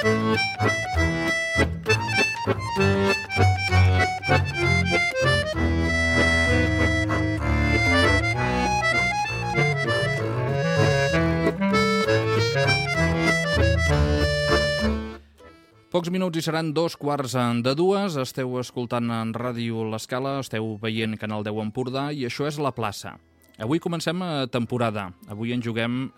Pocs minuts i seran 2:15. Esteu escoltant en Ràdio L'Escala, esteu veient Canal 10 Empordà i això és La Plaça. Avui comencem temporada. Avui engeguem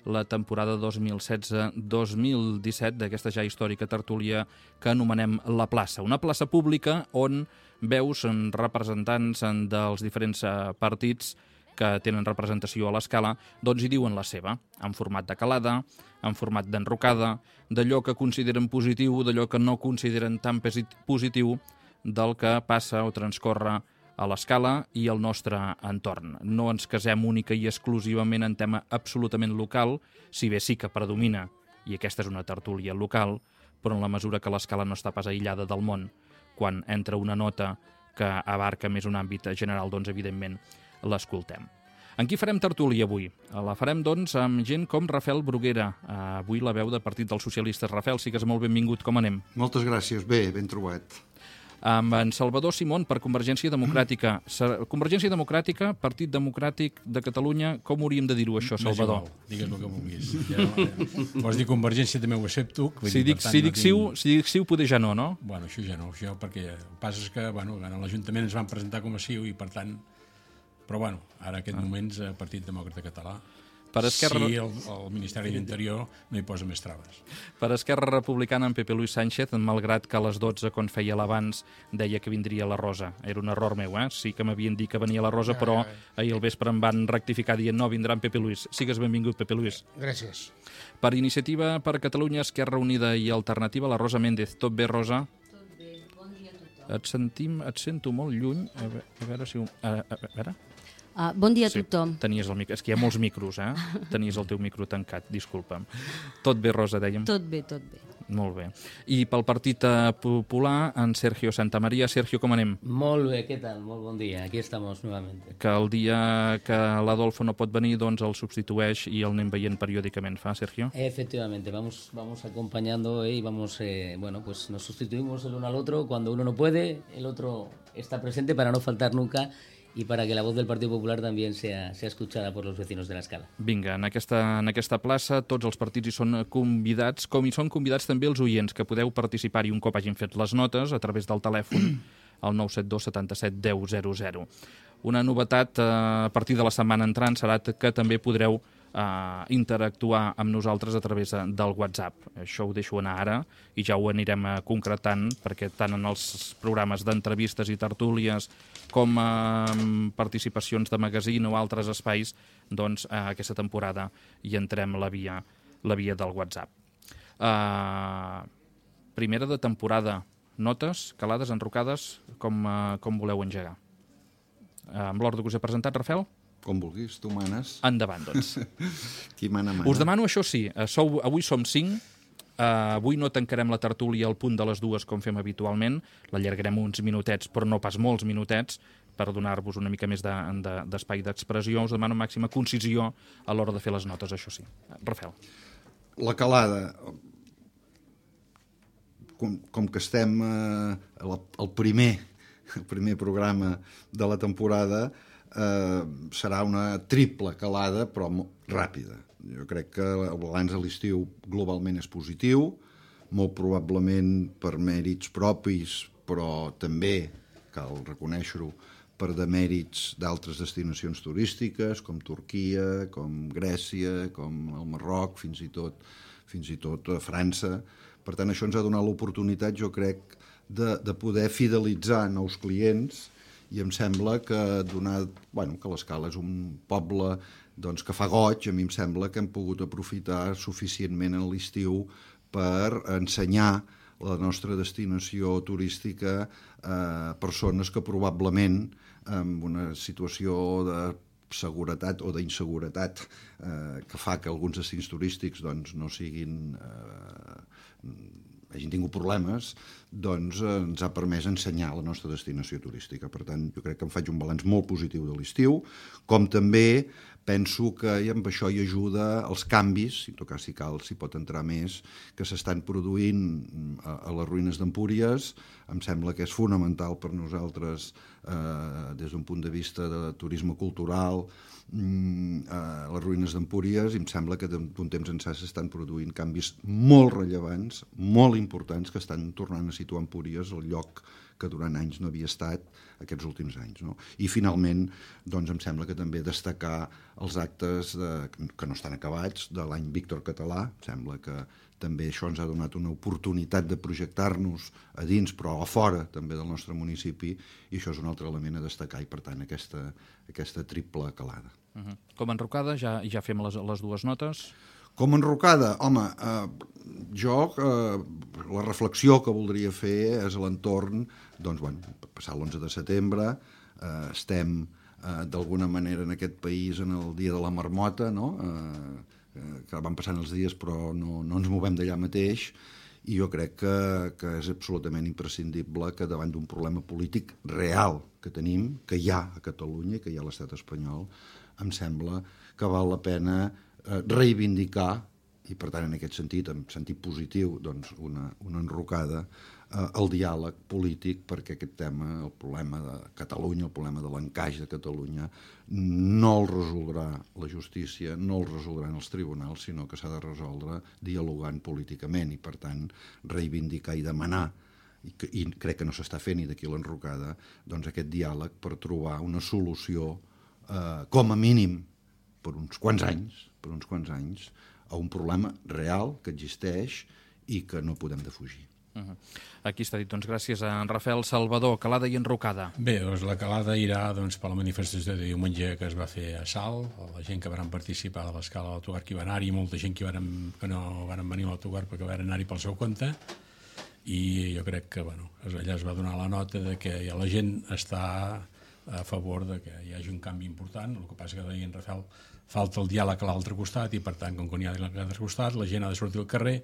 la temporada 2016-2017 d'aquesta ja històrica tertúlia que anomenem La Plaça. Una plaça pública on veus representants dels diferents partits que tenen representació a l'Escala, doncs hi diuen la seva, en format de calada, en format d'enrocada, d'allò que consideren positiu, d'allò que no consideren tan positiu del que passa o transcorre a l'Escala i al nostre entorn. No ens casem única i exclusivament en tema absolutament local, si bé sí que predomina, i aquesta és una tertúlia local, però en la mesura que l'Escala no està pas aïllada del món, quan entra una nota que abarca més un àmbit general, doncs evidentment l'escoltem. En qui farem tertúlia avui? La farem, doncs, amb gent com Rafael Bruguera. Avui la veu del Partit dels Socialistes. Rafael, sigues molt benvingut. Com anem? Moltes gràcies. Bé, ben trobat. Amb en Salvador Simón, per Convergència Democràtica. Convergència Democràtica, Partit Democràtic de Catalunya, com hauríem de dir-ho, això, Salvador? Digues el que vulguis. Vols dir Convergència, també ho accepto. Si dic CiU, poder ja no, no? Bueno, això ja no, perquè el que passa és que a l'Ajuntament ens van presentar com a CiU i, per tant... Però, bueno, ara en aquests moments, Partit Demòcrata Català, si el Ministeri d'Interior no hi posa més traves. Per Esquerra Republicana, en Pepe Luis Sánchez, malgrat que a les 12, quan feia l'abans, deia que vindria la Rosa. Era un error meu, eh? Sí que m'havien dit que venia la Rosa, però ahir al vespre em van rectificar dient no, vindrà en Pepe Luis. Sigues benvingut, Pepe Luis. Gràcies. Per Iniciativa per Catalunya, Esquerra Unida i Alternativa, la Rosa Méndez. Tot bé, Rosa? Tot bé, bon dia a tothom. Et sento molt lluny. A veure si... A veure... Bon dia a tothom. Tenies el micro. És que hi ha molts micros, eh? Tenies el teu micro tancat, disculpa'm. Tot bé, Rosa, dèiem? Tot bé, tot bé. Molt bé. I pel Partit Popular, en Sergio Santamaría. Sergio, com anem? Molt bé, què tal? Molt bon dia. Aquí estamos nuevamente. Que el dia que l'Adolfo no pot venir, doncs el substitueix i el anem veient periòdicament. Fa, Sergio? Efectivamente, vamos acompañando y vamos, pues nos sustituimos el uno al otro. Cuando uno no puede, el otro está presente para no faltar nunca y para que la voz del Partido Popular también sea escuchada por los vecinos de l'Escala. Vinga, en aquesta plaça tots els partits hi són convidats, com hi són convidats també els oients, que podeu participar-hi un cop hagin fet les notes a través del telèfon al 972 77 10 00. Una novetat a partir de la setmana entrant serà que també podreu interactuar amb nosaltres a través del WhatsApp. Això ho deixo anar ara i ja ho anirem concretant, perquè tant en els programes d'entrevistes i tertúlies com participacions de magazine o altres espais, doncs aquesta temporada hi entrem la via del WhatsApp. Primera de temporada, notes, calades, enrocades, com voleu engegar? Amb l'ordre que us he presentat, Rafael? Com vulguis, tu manes. Endavant, doncs. Qui mana. Us demano, això sí, avui som 5, avui no tancarem la tertúlia al punt de les 2 com fem habitualment, l'allargarem uns minutets, però no pas molts minutets, per donar-vos una mica més d'espai d'expressió. Us demano màxima concisió a l'hora de fer les notes, això sí. Rafael. La calada, com que estem al primer programa de la temporada, serà una triple calada, però ràpida. Jo crec que el balanç de l'estiu globalment és positiu, molt probablement per mèrits propis, però també, cal reconèixer-ho, per demèrits d'altres destinacions turístiques, com Turquia, com Grècia, com el Marroc, fins i tot a França. Per tant, això ens ha donat l'oportunitat, jo crec, de poder fidelitzar nous clients. I em sembla que, que l'Escala és un poble que fa goig, a mi em sembla que hem pogut aprofitar suficientment en l'estiu per ensenyar la nostra destinació turística a persones que probablement en una situació de seguretat o d'inseguretat que fa que alguns destins turístics no siguin... hagin tingut problemes, doncs ens ha permès ensenyar la nostra destinació turística. Per tant, jo crec que em faig un balanç molt positiu de l'estiu, com també penso que amb això hi ajuda els canvis, en tot cas si cal s'hi pot entrar més, que s'estan produint a les ruïnes d'Empúries. Em sembla que és fonamental per nosaltres des d'un punt de vista de turisme cultural a les ruïnes d'Empúries, i em sembla que d'un temps ençà s'estan produint canvis molt rellevants, molt importants, que estan tornant a situar Empúries al lloc que durant anys no havia estat aquests últims anys. No? I finalment, doncs, em sembla que també destacar els actes que no estan acabats de l'any Víctor Català. Em sembla que també això ens ha donat una oportunitat de projectar-nos a dins, però a fora també del nostre municipi, i això és un altre element a destacar, i per tant aquesta triple calada. Com a enrocada, ja fem les dues notes. Com a enrocada, home, la reflexió que voldria fer és a l'entorn, doncs, passar l'11 de setembre, estem d'alguna manera en aquest país en el dia de la marmota, no?, que van passant els dies però no ens movem d'allà mateix, i jo crec que és absolutament imprescindible que davant d'un problema polític real que tenim, que hi ha a Catalunya i que hi ha a l'estat espanyol, em sembla que val la pena reivindicar, i per tant en aquest sentit, en sentit positiu, doncs una enrocada, el diàleg polític, perquè aquest tema, el problema de Catalunya, el problema de l'encaix de Catalunya, no el resoldrà la justícia, no el resoldran els tribunals, sinó que s'ha de resoldre dialogant políticament, i per tant reivindicar i demanar, i crec que no s'està fent, i d'aquí l'enrocada, doncs aquest diàleg per trobar una solució, com a mínim, per uns quants anys, a un problema real que existeix i que no podem defugir. Aquí està dit, doncs, gràcies a en Rafael Salvador. Calada i enrocada. Bé, doncs la calada irà per la manifestació de diumenge que es va fer a Salt, la gent que van participar de l'escala de l'autocar que hi va anar-hi, molta gent que no van venir a l'autocar perquè van anar-hi pel seu compte, i jo crec que allà es va donar la nota de que la gent està a favor de que hi hagi un canvi important. El que passa que deia en Rafael, falta el diàleg a l'altre costat, i per tant, com que n'hi ha a l'altre costat, la gent ha de sortir al carrer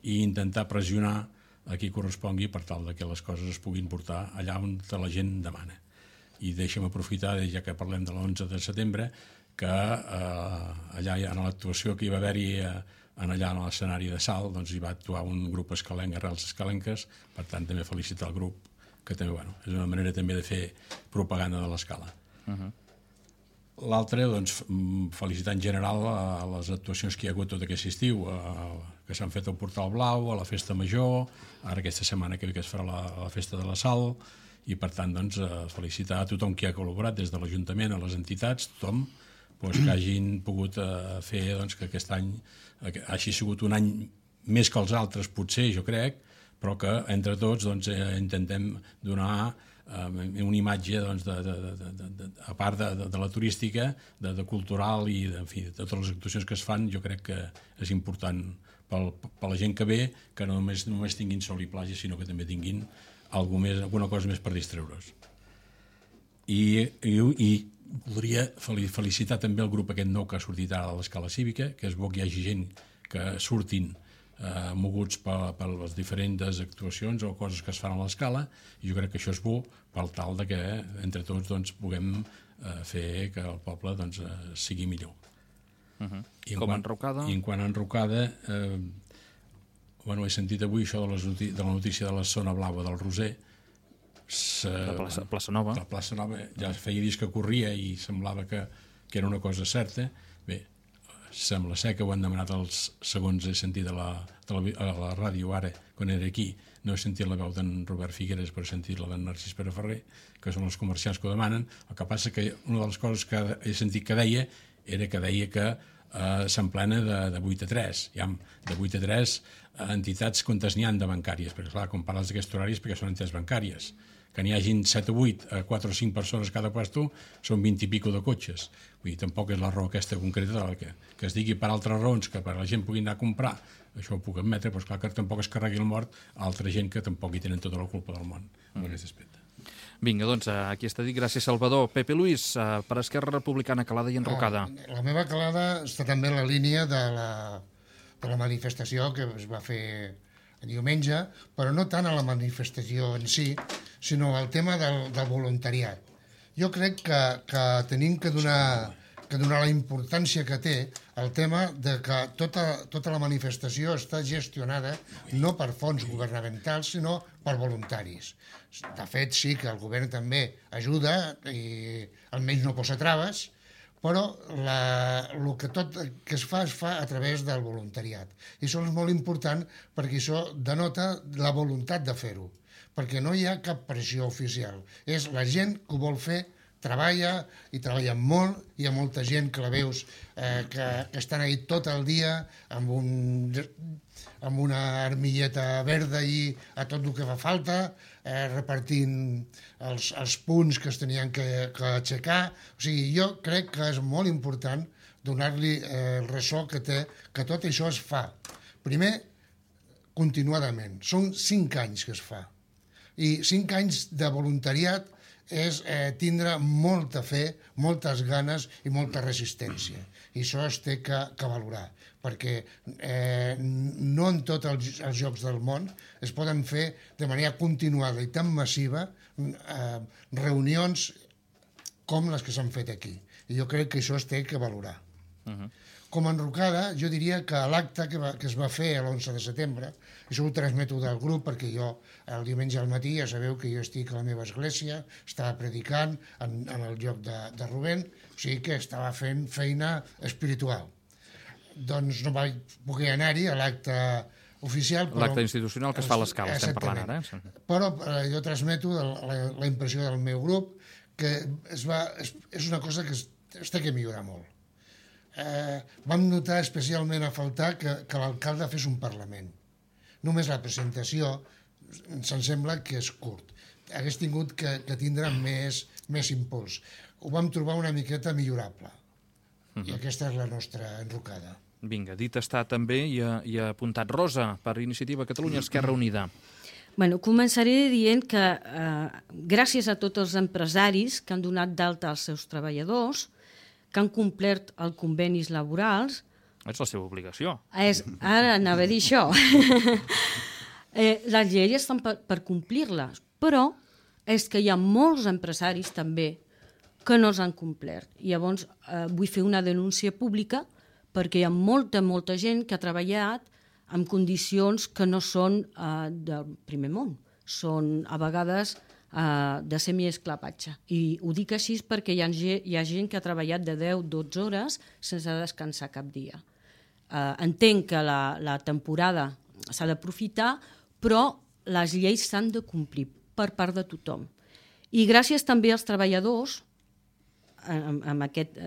i intentar pressionar a qui correspongui per tal de que les coses es puguin portar allà on la gent demana. I deixa'm aprofitar, ja que parlem de l'11 de setembre, que allà en l'actuació que hi va haver-hi allà a l'escenari de Salt, doncs hi va actuar un grup escalenc, Arrels Escalenques, per tant també felicitar el grup, que també és una manera també de fer propaganda de l'escala. L'altre, doncs, felicitar en general a les actuacions que hi ha hagut tot aquest estiu, que s'han fet al Portal Blau, a la Festa Major, ara aquesta setmana que es farà la Festa de la Sal, i per tant, doncs, felicitar a tothom que ha col·laborat, des de l'Ajuntament a les entitats, tothom, que hagin pogut fer que aquest any hagi sigut un any més que els altres, potser, jo crec, però que entre tots intentem donar una imatge, a part de la turística, de cultural i de totes les actuacions que es fan. Jo crec que és important per la gent que ve, que no només tinguin sol i platja, sinó que també tinguin alguna cosa més per distreure's. I voldria felicitar també el grup aquest nou que ha sortit ara a l'escala cívica, que és bo que hi hagi gent que surtin moguts per les diferents actuacions o coses que es fan a l'escala, i jo crec que això és bo per tal que entre tots puguem fer que el poble sigui millor. I com a enrocada? I en quant a enrocada, he sentit avui això de la notícia de la zona blava del Roser, de Plaça Nova. La Plaça Nova ja feia dies que corria i semblava que era una cosa certa. Bé, sembla ser que ho han demanat segons he sentit a la ràdio ara, quan era aquí. No he sentit la veu d'en Robert Figueres, però he sentit la d'en Narcís Pere Ferrer, que són els comerciants que ho demanen. El que passa que una de les coses que he sentit que deia era que s'emplena de 8 a 3. De 8 a 3 entitats quantes n'hi ha de bancàries, perquè clar, quan parles d'aquests horaris perquè són entitats bancàries. Que n'hi hagin 7 o 8, 4 o 5 persones cada puesto, són 20 i pico de cotxes. Vull dir, tampoc és la raó aquesta concreta que es digui per altres raons, que per la gent pugui anar a comprar, això ho puc admetre, però esclar que tampoc es carregui el mort a altra gent que tampoc hi tenen tota la culpa del món en aquest aspecte. Vinga, doncs, aquí està dit. Gràcies, Salvador. Pepe Luis, per Esquerra Republicana, calada i enrocada. La meva calada està també en la línia de la manifestació que es va fer diumenge, però no tant a la manifestació en si, sinó al tema del voluntariat. Jo crec que tenim que donar que donar la importància que té el tema de que tota la manifestació està gestionada no per fons governamentals, sinó per voluntaris. De fet, sí que el govern també ajuda i almenys no posa traves, però el que tot que es fa a través del voluntariat. I això és molt important perquè això denota la voluntat de fer-ho, perquè no hi ha cap pressió oficial. És la gent que ho vol fer, treballa i treballa molt, hi ha molta gent que la veus que estan ahí tot el dia amb una armilleta verda i a tot el que fa falta, repartint els punts que es tenien que aixecar. O sigui, jo crec que és molt important donar-li el ressò que té, que tot això es fa. Primer, continuadament. Són 5 anys que es fa. I 5 anys de voluntariat és tindre molta fe, moltes ganes i molta resistència. I això es té que valorar, perquè no en tots els llocs del món es poden fer de manera continuada i tan massiva reunions com les que s'han fet aquí. I jo crec que això es té que valorar. Com a enrocada, jo diria que l'acte que es va fer l'11 de setembre, això ho transmeto del grup perquè jo el diumenge al matí ja sabeu que jo estic a la meva església, estava predicant en el lloc de Rubén, o sigui que estava fent feina espiritual. Doncs no vaig poder anar-hi a l'acte oficial. L'acte institucional que es fa a l'Escala, estem parlant ara. Però jo transmeto la impressió del meu grup, que és una cosa que es té que millorar molt. Vam notar especialment a faltar que l'alcalde fes un Parlament. Només la presentació se'm sembla que és curt. Hagués tingut que tindre més impuls. Ho vam trobar una miqueta millorable. I aquesta és la nostra enrocada. Vinga, dit està també i ha apuntat Rosa per Iniciativa Catalunya Esquerra Unida. Bueno, començaré dient que gràcies a tots els empresaris que han donat d'alta als seus treballadors, que han complert els convenis laborals... És la seva obligació. Ara anava a dir això. Les lleis estan per complir-les, però és que hi ha molts empresaris també que no s'han complert. I llavors vull fer una denúncia pública perquè hi ha molta gent que ha treballat en condicions que no són del primer món. Són a vegades de semiesclavatge. I ho dic així perquè hi ha gent que ha treballat de 10-12 hores sense descansar cap dia. Entenc que la temporada s'ha d'aprofitar, però les lleis s'han de complir per part de tothom. I gràcies també als treballadors, amb aquest,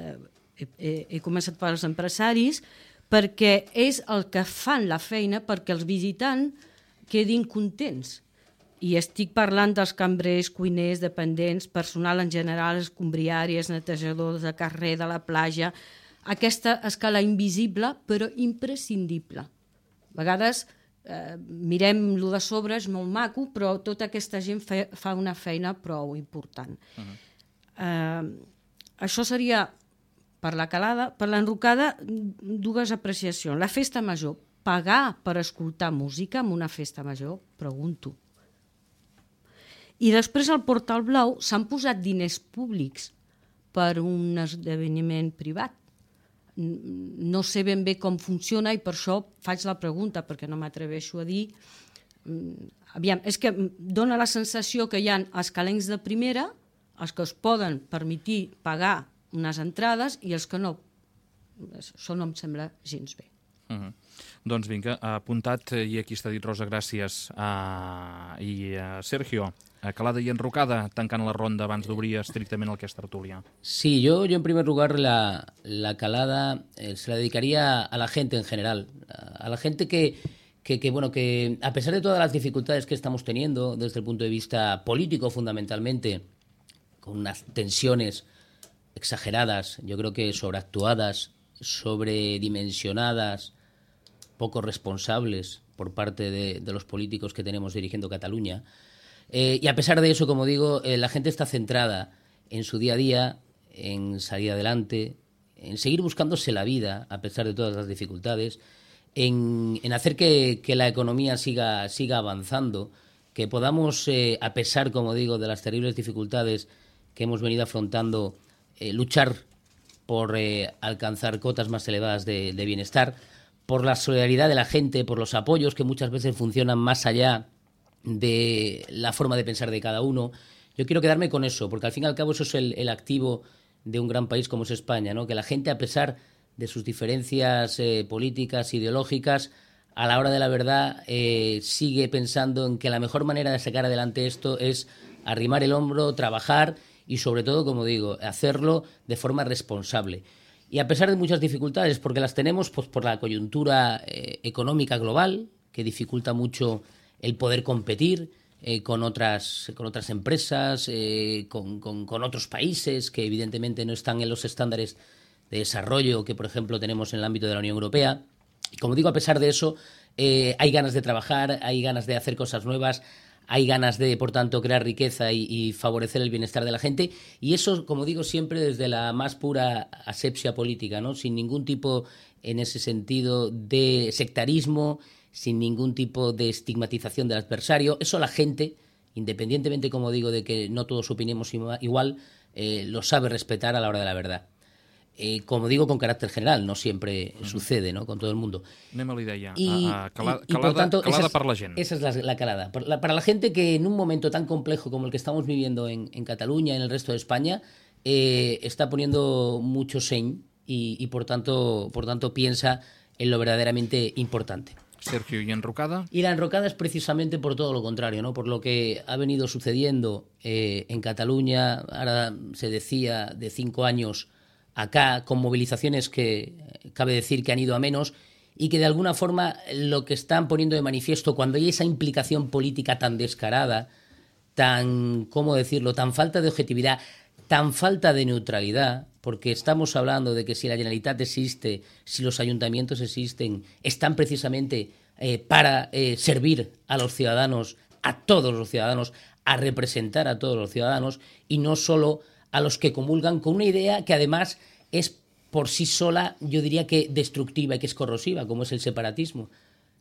he començat pels empresaris, perquè és el que fan la feina perquè els visitants quedin contents. I estic parlant dels cambrers, cuiners, dependents, personal en general, escombriàries, netejadors de carrer, de la platja, aquesta escala invisible però imprescindible. A vegades mirem lo de sobre, és molt maco, però tota aquesta gent fa una feina prou important. Això seria per la calada. Per l'enrocada, 2 apreciacions. La festa major, pagar per escoltar música en una festa major, pregunto. I després al Portal Blau s'han posat diners públics per un esdeveniment privat. No sé ben bé com funciona i per això faig la pregunta, perquè no m'atreveixo a dir. Aviam, és que dona la sensació que hi ha els calencs de primera, els que es poden permetir pagar unes entrades i els que no. Això no em sembla gens bé. Doncs vinga, apuntat, i aquí està dit, Rosa, gràcies. I Sergio, calada y enrocada, tancant la ronda abans d'obrir estrictament el que és tertúlia. Sí, yo en primer lugar la calada se la dedicaría a la gente en general, a la gente que a pesar de todas las dificultades que estamos teniendo desde el punto de vista político fundamentalmente, con unas tensiones exageradas, yo creo que sobreactuadas, sobredimensionadas, poco responsables por parte de los políticos que tenemos dirigiendo Cataluña. Y a pesar de eso, como digo, la gente está centrada en su día a día, en salir adelante, en seguir buscándose la vida a pesar de todas las dificultades, en hacer que la economía siga avanzando, que podamos, a pesar, como digo, de las terribles dificultades que hemos venido afrontando, luchar por alcanzar cotas más elevadas de bienestar, por la solidaridad de la gente, por los apoyos que muchas veces funcionan más allá de la forma de pensar de cada uno. Yo quiero quedarme con eso, porque al fin y al cabo eso es el activo de un gran país como es España, ¿no? Que la gente, a pesar de sus diferencias políticas, ideológicas, a la hora de la verdad sigue pensando en que la mejor manera de sacar adelante esto es arrimar el hombro, trabajar y sobre todo, como digo, hacerlo de forma responsable. Y a pesar de muchas dificultades, porque las tenemos pues por la coyuntura económica global, que dificulta mucho el poder competir con otras empresas, con otros países que evidentemente no están en los estándares de desarrollo que, por ejemplo, tenemos en el ámbito de la Unión Europea. Y como digo, a pesar de eso, hay ganas de trabajar, hay ganas de hacer cosas nuevas, hay ganas de, por tanto, crear riqueza y favorecer el bienestar de la gente. Y eso, como digo, siempre desde la más pura asepsia política, ¿no? Sin ningún tipo, en ese sentido, de sectarismo, sin ningún tipo de estigmatización del adversario. Eso la gente, independientemente, como digo, de que no todos opinemos igual, lo sabe respetar a la hora de la verdad. Como digo, con carácter general, no siempre sucede, ¿no?, con todo el mundo. Anem a l'idea. Por tanto, calada per la gent. Esa es la calada. Para la gente que en un momento tan complejo como el que estamos viviendo en Cataluña y en el resto de España, está poniendo mucho seny y por tanto piensa en lo verdaderamente importante. Sergio, ¿y enrocada? Y la enrocada es precisamente por todo lo contrario, ¿no? Por lo que ha venido sucediendo en Cataluña. Ahora se decía de 5 años acá, con movilizaciones que cabe decir que han ido a menos y que de alguna forma lo que están poniendo de manifiesto cuando hay esa implicación política tan descarada, tan, ¿cómo decirlo?, tan falta de objetividad, tan falta de neutralidad, porque estamos hablando de que si la Generalitat existe, si los ayuntamientos existen, están precisamente para servir a los ciudadanos, a todos los ciudadanos, a representar a todos los ciudadanos y no solo a los que comulgan con una idea que además es por sí sola, yo diría que destructiva y que es corrosiva, como es el separatismo.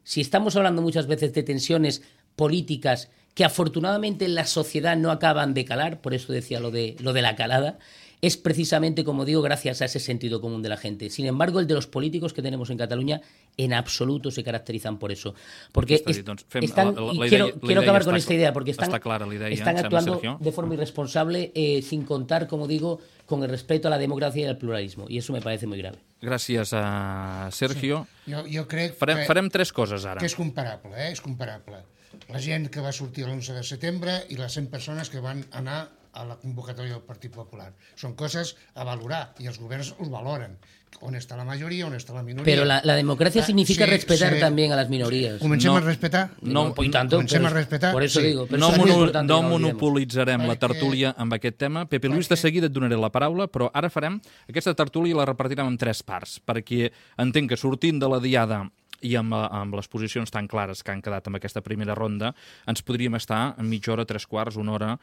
Si estamos hablando muchas veces de tensiones políticas que afortunadamente en la sociedad no acaban de calar, por eso decía lo de la calada, es precisamente, como digo, gracias a ese sentido común de la gente. Sin embargo, el de los políticos que tenemos en Cataluña en absoluto se caracterizan por eso. Porque quiero acabar con esta idea, porque están actuando de forma irresponsable, sin contar, como digo, con el respeto a la democracia y al pluralismo. I això me parece muy grave. Gràcies a Sergio. Sí. Jo crec farem 3 coses ara. Que és comparable, és comparable. La gent que va sortir l'11 de setembre i les 100 persones que van anar a la convocatòria del Partit Popular. Són coses a valorar i els governs us valoren. On està la majoria, on està la minoria. Pero la democracia significa respetar también a las minorías. Comencem a respetar? Comencem a respetar? Por eso digo. No monopolitzarem la tertúlia amb aquest tema. Pepe Luis, de seguida et donaré la paraula, però ara farem aquesta tertúlia i la repartirem en 3 parts, perquè entenc que sortint de la diada i amb les posicions tan clares que han quedat amb aquesta primera ronda, ens podríem estar mitja hora, 3/4, una hora,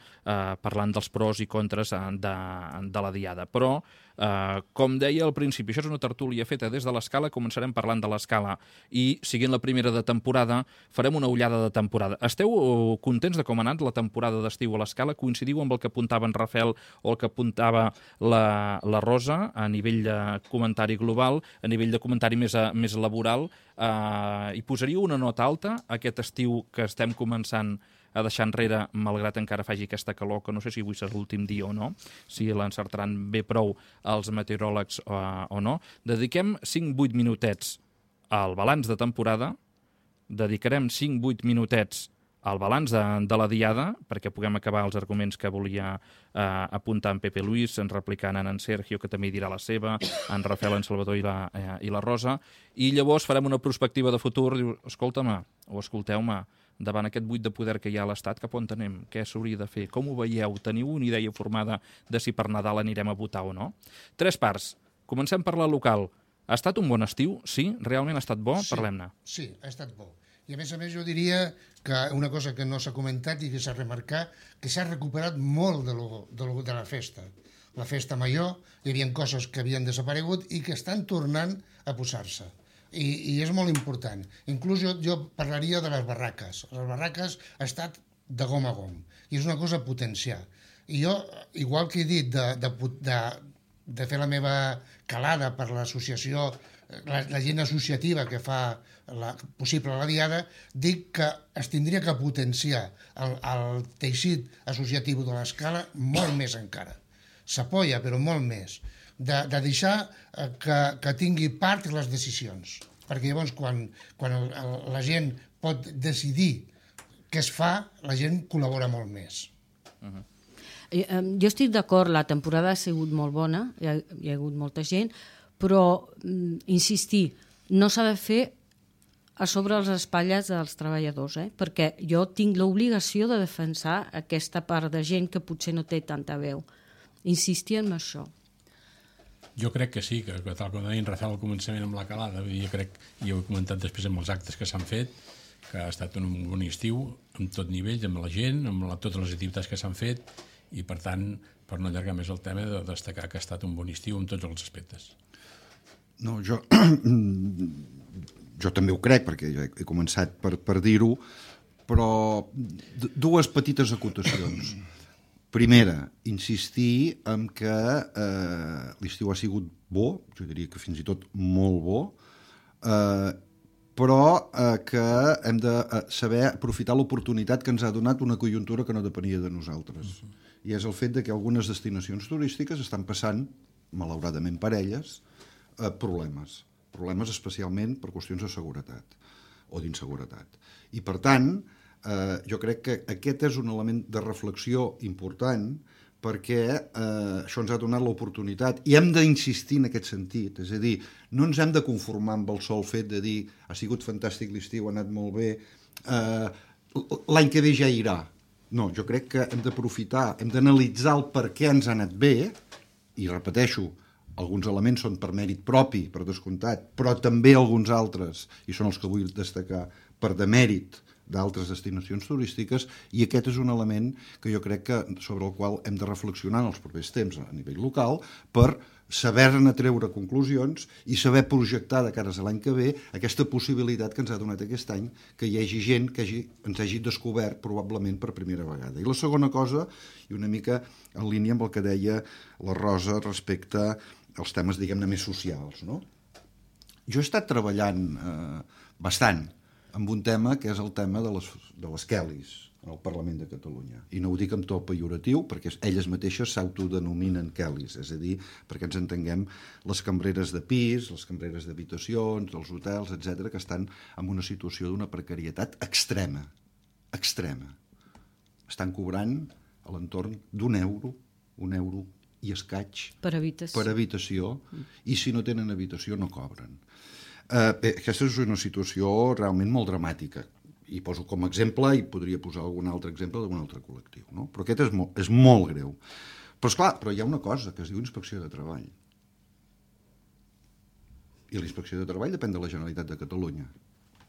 parlant dels pros i contres de la diada. Però, com deia al principi, això és una tertúlia feta des de l'Escala, començarem parlant de l'Escala i, siguent la primera de temporada, farem una ullada de temporada. Esteu contents de com ha anat la temporada d'estiu a l'Escala? Coincidiu amb el que apuntava en Rafael o el que apuntava la Rosa a nivell de comentari global, a nivell de comentari més laboral? Hi posaríeu una nota alta a aquest estiu que estem començant a deixar enrere, malgrat encara faci aquesta calor, que no sé si avui serà l'últim dia o no, si l'encertaran bé prou els meteoròlegs o no. Dediquem 5-8 minutets al balanç de temporada, dedicarem 5-8 minutets al balanç de la diada, perquè puguem acabar els arguments que volia apuntar en Pepe Luis, en replicant en Sergio, que també dirà la seva, en Rafael, en Salvador i la Rosa, i llavors farem una perspectiva de futur, diu, escolta'm, o escolteu-me, davant aquest buit de poder que hi ha a l'Estat, cap on anem? Què s'hauria de fer? Com ho veieu? Teniu una idea formada de si per Nadal anirem a votar o no? 3 parts. Comencem per la local. Ha estat un bon estiu? Sí? Realment ha estat bo? Sí, parlem-ne. Sí, ha estat bo. I a més jo diria que una cosa que no s'ha comentat i que s'ha remarcat, que s'ha recuperat molt de la festa. La festa major, hi havia coses que havien desaparegut i que estan tornant a posar-se. I és molt important. Inclús jo parlaria de les barraques. Les barraques ha estat de gom a gom. I és una cosa a potenciar. I jo, igual que he dit de de fer la meva calada per l'associació, la gent associativa que fa possible la diada, dic que es tindria que potenciar el teixit associatiu de l'Escala molt més encara. S'apoya, però molt més. De deixar que tingui part en les decisions. Perquè llavors, quan la gent pot decidir què es fa, la gent col·labora molt més. Jo estic d'acord, la temporada ha sigut molt bona, hi ha hagut molta gent, però, insistir, no s'ha de fer a sobre les espatlles dels treballadors, perquè jo tinc l'obligació de defensar aquesta part de gent que potser no té tanta veu. Insistir en això. Jo crec que sí, que tal com deia en Rafael al començament amb la calada, jo crec, i ho he comentat després amb els actes que s'han fet, que ha estat un bon estiu, amb tot nivell, amb la gent, amb totes les activitats que s'han fet, i per tant, per no allargar més el tema, de destacar que ha estat un bon estiu en tots els aspectes. No, jo també ho crec, perquè jo he començat per dir-ho, però dues petites acotacions. Primera, insistir en que l'estiu ha sigut bo, jo diria que fins i tot molt bo, però que hem de saber aprofitar l'oportunitat que ens ha donat una conjuntura que no depenia de nosaltres. I és el fet que algunes destinacions turístiques estan passant, malauradament per elles, problemes especialment per qüestions de seguretat o d'inseguretat. I per tant, jo crec que aquest és un element de reflexió important perquè això ens ha donat l'oportunitat i hem d'insistir en aquest sentit, és a dir, no ens hem de conformar amb el sol fet de dir ha sigut fantàstic l'estiu, ha anat molt bé, l'any que ve ja irà. No, jo crec que hem d'aprofitar, hem d'analitzar el per què ens ha anat bé, i repeteixo, alguns elements són per mèrit propi, per descomptat, però també alguns altres, i són els que vull destacar, per demèrit d'altres destinacions turístiques, i aquest és un element que jo crec que sobre el qual hem de reflexionar en els propers temps a nivell local per saber-ne treure conclusions i saber projectar de cares a l'any que ve aquesta possibilitat que ens ha donat aquest any que hi hagi gent que ens hagi descobert probablement per primera vegada. I la segona cosa, i una mica en línia amb el que deia la Rosa respecte als temes, diguem-ne, més socials, no? Jo he estat treballant bastant amb un tema que és el tema de les Kellys al Parlament de Catalunya. I no ho dic amb to pejoratiu, perquè elles mateixes s'autodenominen Kellys, és a dir, perquè ens entenguem les cambreres de pis, les cambreres d'habitacions, dels hotels, etc., que estan en una situació d'una precarietat extrema. Extrema. Estan cobrant a l'entorn un euro i escaig per habitació, i si no tenen habitació no cobren. Aquesta és una situació realment molt dramàtica, i poso com a exemple, i podria posar algun altre exemple d'algun altre col·lectiu, no? Però aquest és molt greu. Però esclar, hi ha una cosa que es diu Inspecció de Treball. I la Inspecció de Treball depèn de la Generalitat de Catalunya.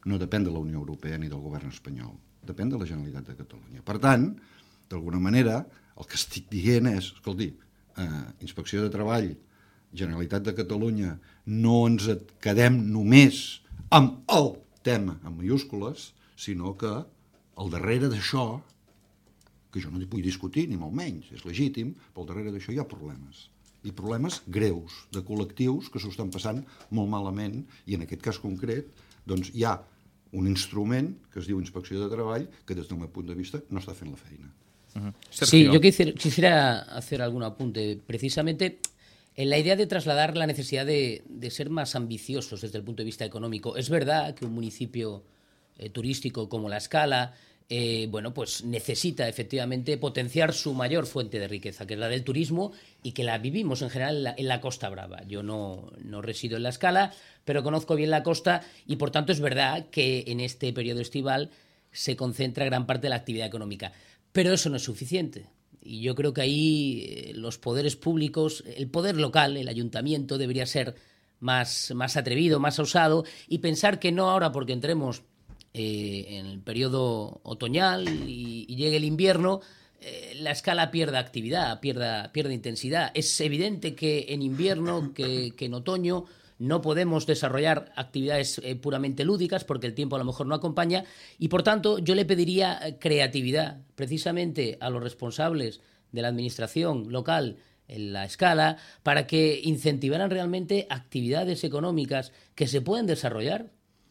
No depèn de la Unió Europea ni del govern espanyol. Depèn de la Generalitat de Catalunya. Per tant, d'alguna manera, el que estic dient és, escolti, Inspecció de Treball, Generalitat de Catalunya, no ens quedem només amb el tema en mayúscules, sinó que al darrere d'això, que jo no hi vull discutir ni molt menys, és legítim, però al darrere d'això hi ha problemes. I problemes greus de col·lectius que s'ho estan passant molt malament, i en aquest cas concret doncs hi ha un instrument que es diu Inspecció de Treball que des del meu punt de vista no està fent la feina. Sí, yo quisiera hacer algún apunte. Precisamente en la idea de trasladar la necesidad de ser más ambiciosos desde el punto de vista económico. Es verdad que un municipio turístico como La Escala pues necesita efectivamente potenciar su mayor fuente de riqueza, que es la del turismo, y que la vivimos en general en la Costa Brava. Yo no resido en La Escala, pero conozco bien la costa, y por tanto es verdad que en este periodo estival se concentra gran parte de la actividad económica. Pero eso no es suficiente. Y yo creo que ahí los poderes públicos, el poder local, el ayuntamiento, debería ser más atrevido, más osado, y pensar que no ahora, porque entremos en el periodo otoñal y llegue el invierno, La Escala pierda actividad, pierda intensidad. Es evidente que en invierno, que en otoño, no podemos desarrollar actividades puramente lúdicas porque el tiempo a lo mejor no acompaña, y por tanto yo le pediría creatividad precisamente a los responsables de la administración local la escala, para que incentivaran realmente actividades económicas que se pueden desarrollar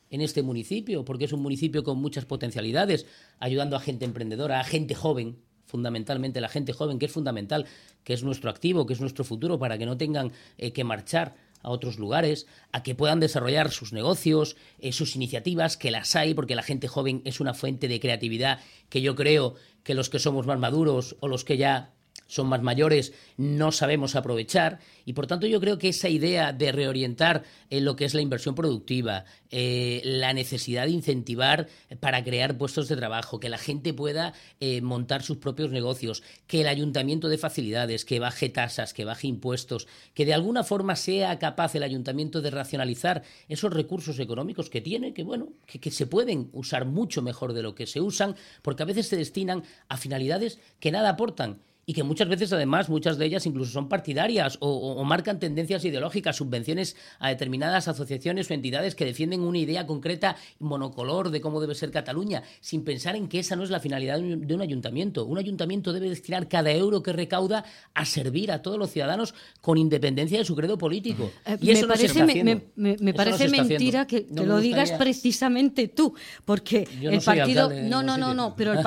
en este municipio, porque es un municipio con muchas potencialidades, ayudando a gente emprendedora, a gente joven, fundamentalmente la gente joven, que es fundamental, que es nuestro activo, que es nuestro futuro, para que no tengan que marchar a otros lugares, a que puedan desarrollar sus negocios, sus iniciativas, que las hay, porque la gente joven es una fuente de creatividad que yo creo que los que somos más maduros o los que ya son más mayores no sabemos aprovechar, y por tanto yo creo que esa idea de reorientar lo que es la inversión productiva, la necesidad de incentivar para crear puestos de trabajo, que la gente pueda montar sus propios negocios, que el ayuntamiento dé facilidades, que baje tasas, que baje impuestos, que de alguna forma sea capaz el ayuntamiento de racionalizar esos recursos económicos que tiene, que se pueden usar mucho mejor de lo que se usan, porque a veces se destinan a finalidades que nada aportan, y que muchas veces, además, muchas de ellas incluso son partidarias o marcan tendencias ideológicas, subvenciones a determinadas asociaciones o entidades que defienden una idea concreta, monocolor, de cómo debe ser Cataluña, sin pensar en que esa no es la finalidad de un ayuntamiento. Un ayuntamiento debe destinar cada euro que recauda a servir a todos los ciudadanos con independencia de su credo político. Y eso no se está haciendo. Me parece mentira que lo digas precisamente tú, porque el partido... No, pero el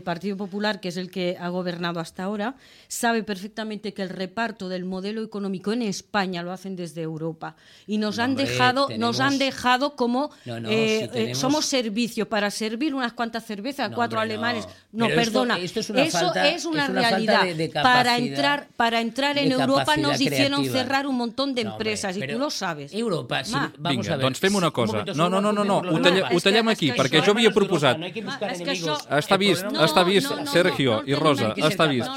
Partido Popular, que es el que ha gobernado hasta ahora, sabe perfectamente que el reparto del modelo económico en España lo hacen desde Europa, y nos han dejado como somos servicio para servir unas cuantas cervezas a cuatro alemanes. Esto es una realidad. Para entrar en Europa nos hicieron cerrar un montón de empresas, i tu lo sabes. Europa, vamos a ver. Doncs fem una cosa. No, ho tallem aquí, perquè jo havia proposat... Està vist, Sergio i Rosa, està vist.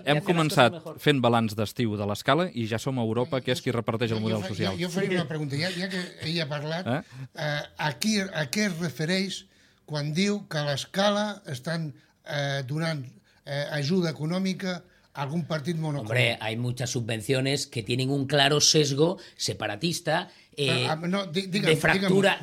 Hem començat fent balanç d'estiu de l'Escala i ja som a Europa, que és qui reparteix el model social. Jo faria una pregunta, ja que ell ha parlat, a què es refereix quan diu que a l'Escala estan donant ajuda econòmica a algún partido monocolor? Hombre, hay muchas subvenciones que tienen un claro sesgo separatista, de fractura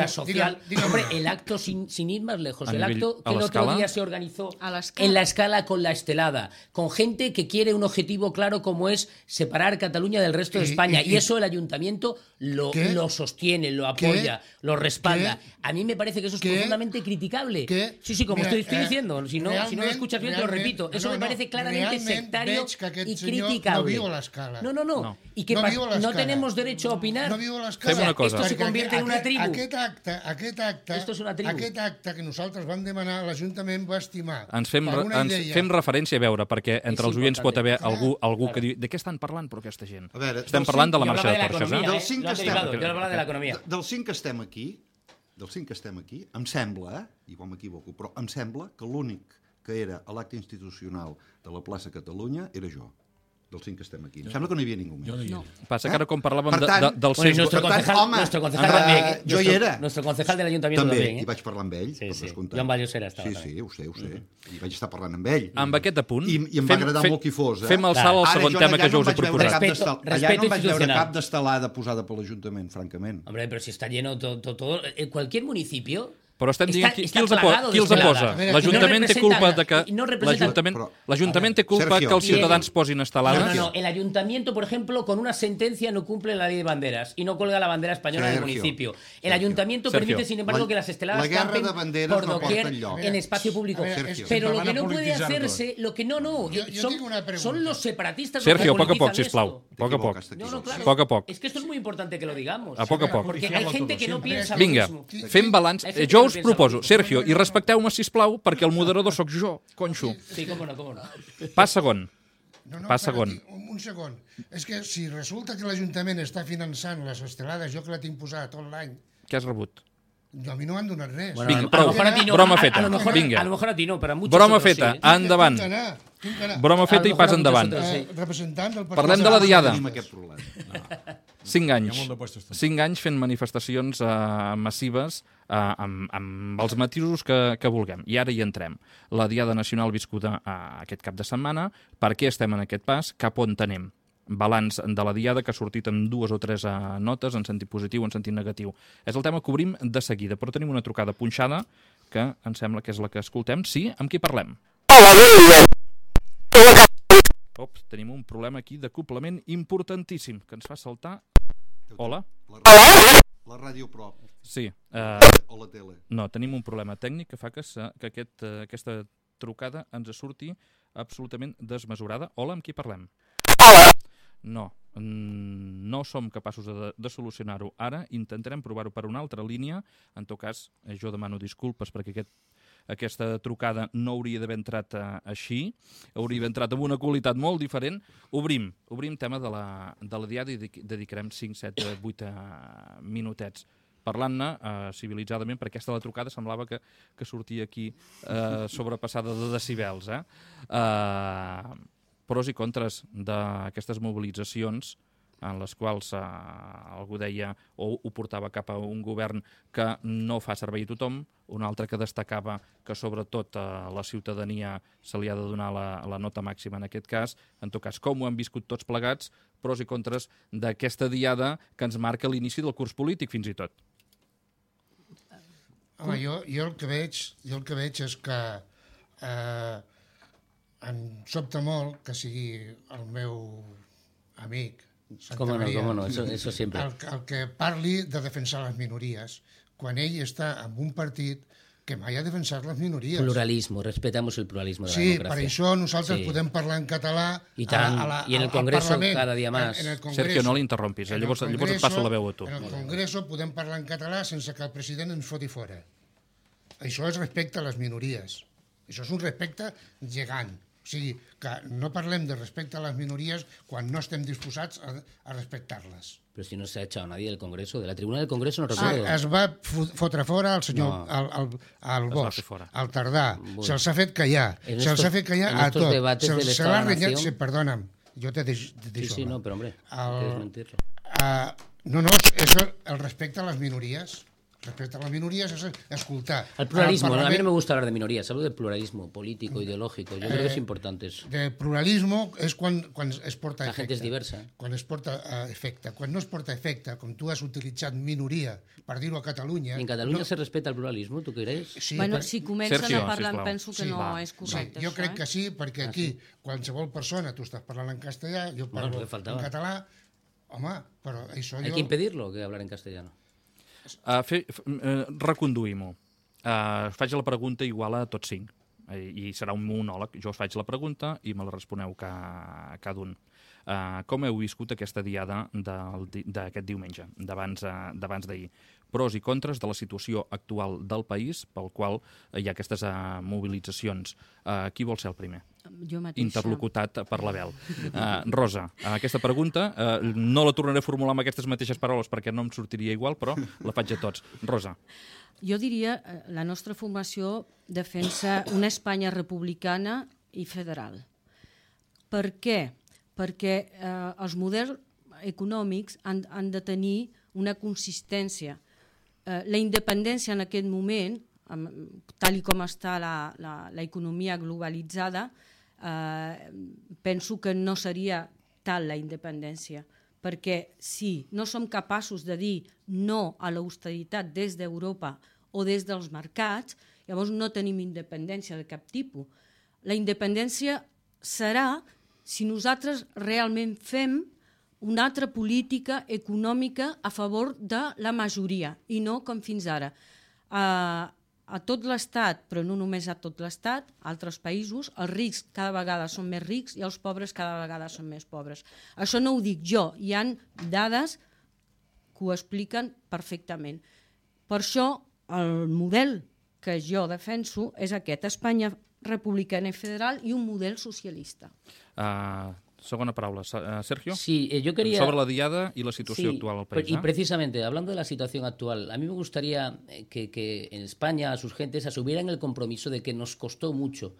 social. Hombre, el acto, sin ir más lejos, el acto que el otro día se organizó en la Escala con la Estelada, con gente que quiere un objetivo claro como es separar Cataluña del resto de España, y eso el ayuntamiento lo sostiene, lo apoya, lo respalda. A mí me parece que eso es profundamente criticable. Sí, como estoy diciendo, si no me escuchas bien te lo repito, eso me parece claramente sectario y criticable. No, y que no tenemos derecho a opinar. Fem una cosa. Esto se convierte en una tribu. Aquest acte que nosaltres vam demanar, l'Ajuntament va estimar. Ens fem referència, a veure, perquè entre els oients pot haver algú que diu de què estan parlant, però aquesta gent? Estem parlant de la marxa de torxes, Dels 5 que estem aquí, em sembla, igual m'equivoco, però em sembla que l'únic que era a l'acte institucional de la plaça Catalunya era jo. Dels 5 que estem aquí. Em sembla que no hi havia ningú més. No. Passa que ara quan parlàvem del seu... Nuestro concejal también. Jo hi era. Nuestro concejal del ayuntamiento també. I vaig parlar amb ell. Sí. Joan Vallosera estava. Sí, ho sé. I vaig estar parlant amb ell. Amb aquest apunt... I em va agradar molt qui fos. Fem el salt al segon tema que jo us he proposat. Allà no em vaig veure cap d'estelada posada per l'Ajuntament, francament. Hombre, pero si está lleno todo... Cualquier municipio... Però estem dient qui els posa. L'Ajuntament té culpa de que... L'Ajuntament té culpa que els ciutadans posin estelades? No. El Ayuntamiento, por ejemplo, con una sentencia no cumple la ley de banderas y no cuelga la bandera española del municipio. El Ayuntamiento permite, sin embargo, que las esteladas campen por doquier en espacio público. Pero lo que no puede hacerse... Son los separatistas... Sergio, poc a poc, sisplau. Poc a poc. Es que esto es muy importante que lo digamos. A poc a poc. Porque hay gente que no piensa lo mismo. Vinga, fem balanç. Jo us proposo, Sergio, i respecteu-me, sisplau, perquè el moderador sóc jo, conxo. Sí, cómo no. Pas segon. Un segon. És que si resulta que l'Ajuntament està finançant les estelades, jo que la tinc posada tot l'any... Què has rebut? A mi no m'han donat res. Vinga, prou. Broma feta. A lo mejor a ti no, pero a muchos broma otros feta, sí. Endavant. Broma feta i pas endavant. Parlem de la Diada. 5 anys. 5 anys fent manifestacions massives amb els matisos que vulguem. I ara hi entrem. La Diada Nacional viscuda aquest cap de setmana. Per què estem en aquest pas? Cap on anem? Balanç de la Diada que ha sortit amb 2 o 3 notes en sentit positiu o en sentit negatiu. És el tema que obrim de seguida, però tenim una trucada punxada que em sembla que és la que escoltem. Sí? Amb qui parlem? Ops, tenim un problema aquí d'acoplament importantíssim que ens fa saltar... Hola? La ràdio prop. Sí. O la tele. No, tenim un problema tècnic que fa que aquesta trucada ens surti absolutament desmesurada. Hola, amb qui parlem? No, no som capaços de solucionar-ho ara. Intentarem provar-ho per una altra línia. En tot cas, jo demano disculpes perquè aquesta trucada no hauria d'haver entrat així, hauria d'haver entrat amb una qualitat molt diferent. Obrim tema de la diada i dedicarem 5, 7, 8 minutets parlant-ne civilitzadament, perquè aquesta la trucada semblava que sortia aquí sobrepassada de decibels. Pros i contres d'aquestes mobilitzacions en les quals algú deia o ho portava cap a un govern que no fa servei a tothom, un altre que destacava que sobretot a la ciutadania se li ha de donar la nota màxima en aquest cas. En tot cas, com ho hem viscut tots plegats, pros i contres d'aquesta diada que ens marca l'inici del curs polític fins i tot. Home, jo el que veig és que em sobta molt que sigui el meu amic ¿Cómo no? Eso siempre. El que parli de defensar les minories, quan ell està en un partit que mai ha defensat les minories. Pluralismo, respetamos el pluralismo de la democracia. Sí, per això nosaltres podem parlar en català i en el Congreso cada dia més. Sergio, no l'interrompis, llavors et passo la veu a tu. En el Congreso podem parlar en català sense que el president ens foti fora. Això és respecte a les minories. Això és un respecte gegant. O sigui, que no parlem de respecte a les minories quan no estem disposats a respectar-les. Però si no s'ha echado nadie del Congreso, de la tribuna del Congreso no recuerdo. Es va fotre fora el senyor al Bosch, al Tardà. Se'ls ha fet callar. Se'ls ha fet callar a tot. Se'ls ha renyat... Sí, perdona'm, jo te deixo. Sí, no, però hombre, quieres mentirlo. No, és el respecte a les minories. Respecte a las minorías es escoltar. El pluralismo, a mí no me gusta hablar de minorías, hablo del pluralismo político, ideológico, yo creo que es importante eso. De pluralismo és quan es porta efecte. La gent és diversa. Quan es porta efecte. Quan no es porta efecte, com tu has utilitzat minoria, per dir-ho a Catalunya... En Catalunya se respeta el pluralismo, tu creus? Sí, bueno, si comencen a parlar, penso que no és correcte. Jo crec que sí, perquè aquí, qualsevol persona, tu estás parlant en castellà, jo parlo en català, home, però això jo... Hay que impedirlo, que hablar en castellano. Reconduïm-ho. Faig la pregunta igual a tots 5 i serà un monòleg. Jo us faig la pregunta i me la responeu cada un. Com heu viscut aquesta diada d'aquest diumenge, d'abans d'ahir? Pros i contres de la situació actual del país pel qual hi ha aquestes mobilitzacions. Qui vol ser el primer? Jo mateixa. Interlocutat per l'Abel. Rosa, aquesta pregunta no la tornaré a formular amb aquestes mateixes paraules perquè no em sortiria igual, però la faig a tots. Rosa. Jo diria la nostra formació defensa una Espanya republicana i federal. Per què? Perquè els models econòmics han de tenir una consistència. La independència en aquest moment, tal com està l'economia globalitzada, penso que no seria tal la independència, perquè si no som capaços de dir no a l'austeritat des d'Europa o des dels mercats, llavors no tenim independència de cap tipus. La independència serà si nosaltres realment fem una altra política econòmica a favor de la majoria i no com fins ara. A tot l'Estat, però no només a tot l'Estat, a altres països, els rics cada vegada són més rics i els pobres cada vegada són més pobres. Això no ho dic jo, hi ha dades que ho expliquen perfectament. Per això el model que jo defenso és aquest, Espanya republicana i federal i un model socialista. Segunda palabra, Sergio. Sí, yo quería... Sobre la diada y la situación actual del país. Y precisamente, hablando de la situación actual, a mí me gustaría que en España a sus gentes asumieran el compromiso de que nos costó mucho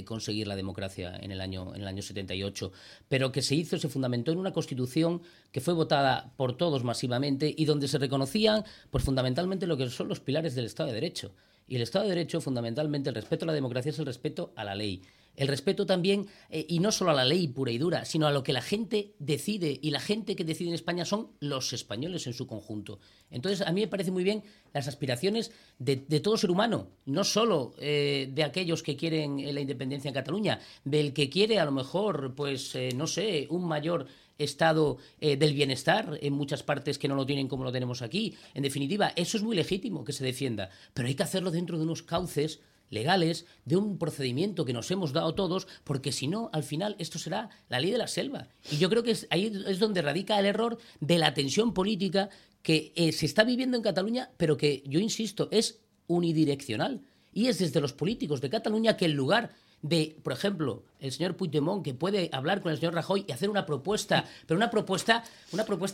conseguir la democracia en el año 78, pero que se fundamentó en una constitución que fue votada por todos masivamente y donde se reconocían pues fundamentalmente lo que son los pilares del Estado de Derecho. Y el Estado de Derecho, fundamentalmente, el respeto a la democracia es el respeto a la ley. El respeto también, y no solo a la ley pura y dura, sino a lo que la gente decide. Y la gente que decide en España son los españoles en su conjunto. Entonces, a mí me parece muy bien las aspiraciones de todo ser humano, no solo de aquellos que quieren la independencia en Cataluña, del que quiere a lo mejor, pues, no sé, un mayor estado del bienestar en muchas partes que no lo tienen como lo tenemos aquí. En definitiva, eso es muy legítimo que se defienda, pero hay que hacerlo dentro de unos cauces legales, de un procedimiento que nos hemos dado todos, porque si no, al final, esto será la ley de la selva. Y yo creo que ahí es donde radica el error de la tensión política que se está viviendo en Cataluña, pero que, yo insisto, es unidireccional. Y es desde los políticos de Cataluña que en lugar de, por ejemplo, el señor Puigdemont, que puede hablar con el señor Rajoy y hacer una propuesta, pero una propuesta